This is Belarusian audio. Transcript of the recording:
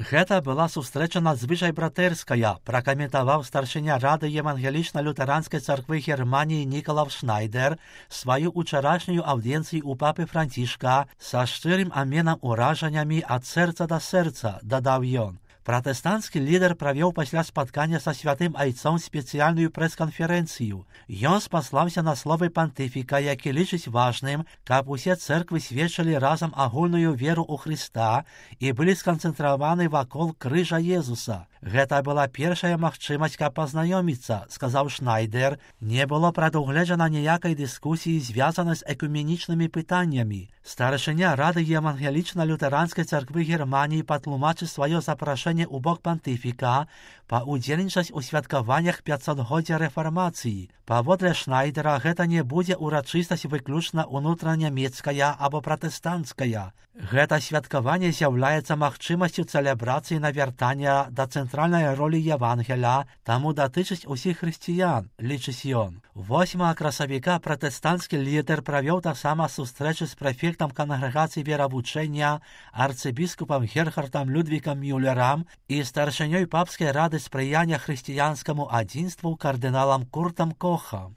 Гэта была сустрэча надзвычай братэрская, пракаментаваў старшыня рады евангелічна-лютэранскай царквы Германіі Нікалаў Шнайдер сваю учарашнюю аўдыенцыю у папы Францішка са шчырым аменам уражаннямі ад сэрца да сэрца, дадаў ён. Пратэстанцкі лідар правёў пасля спаткання са святым айцом спецыяльную прэс-канферэнцыю. Ён спаслаўся на словы пантыфіка, які лічыць важным, каб усе цэрквы сведчылі разам агульную веру ў Хрыста і былі сканцэнтраваны вакол крыжа Езуса. Гэта была першая магчымасць, каб пазнаёміцца, сказаў Шнайдер. Не было прадугледжана ніякай дыскусіі, звязанай з экуменічнымі пытаннямі. Старшыня рады евангелічна-лютэранскай царквы Германіі патлумачыць сваё запрашэнне у бок пантыфіка паўдзельнічаць у святкаваннях 500-годдзя рэфармацыі. Паводле Шнайдера, гэта не будзе урачыстасць выключна ўнутранямецкая або пратэстанцкая. Гэта святкаванне з'яўляецца магчымасцю цэлебрацыі навяртання да цэнтральнай ролі Евангеля, таму датычыць усіх хрысціян, лічыць ён. 8 красавіка пратэстанцкі лідар правёў таксама сустрэчы з прэфектам кангрэгацыі веравучэння арцыбіскупам Герхардам Людвікам Мюллерам і старшынёй папскай рады спрыяння хрысціянскаму адзінству кардыналам Куртам Кохам.